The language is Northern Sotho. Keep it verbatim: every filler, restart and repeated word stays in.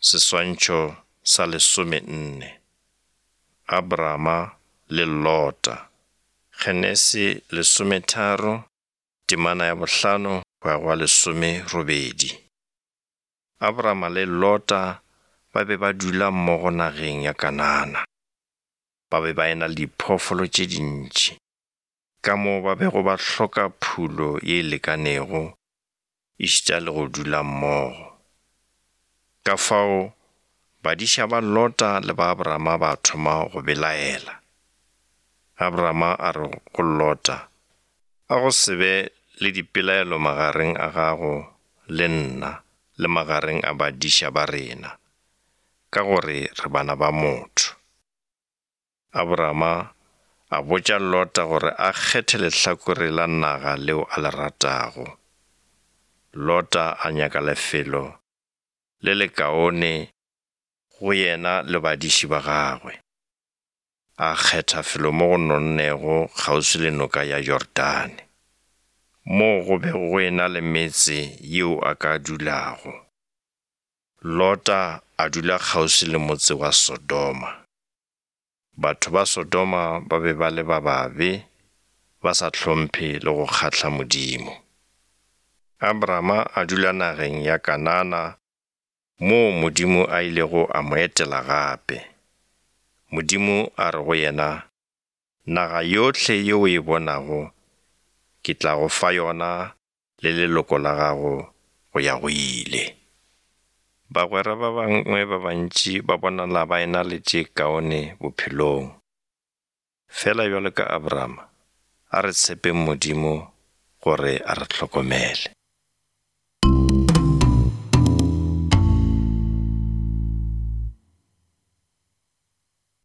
Seswantšho sa lesomenne. Abrama le Lota. Genesi lesometharo, temana ya bohlano go ya go lesomerobedi. Abrama le Lota ba be ba dula mmogo nageng ya Kanana. Ba be ba e na le diphoofolo tše dintši, ka moo ba bego ba hloka phulo ye e lekanego, ešita le go dula mmogo. Ka fao badiša ba Lota le ba Abrama ba thoma go belaela. Abrama a re go Lota, A go se be le dipelaelo magareng a gago le nna le magareng a badiša ba rena, ka gore re bana ba motho. Abrama a botša Lota gore a kgethe lehlakore la naga leo a le ratago. Lota a nyaka lefelo le lekaone go yena le badiši ba gagwe. A kgetha felo mo go nonnego kgauswi le noka ya Jordane, moo go bego go ena le metse yeo a ka dulago. Lota a dula kgauswi le motse wa Sodoma. Batho ba Sodoma ba be ba le ba babe, ba sa hlomphe le go kgahla Modimo. Abrama a dula nageng ya Kanana moo Modimo a ilego a mo etela gape. Modimo a re go yena, Naga yohle ye o e bonago ke tla go fa yona le leloko la gago go ya go ile. Bagwera ba bangwe ba bantši ba bonala ba ena le tše kaone bophelong. Fela bjalo ka Abrama, a re tshepeng Modimo gore a re hlokomele.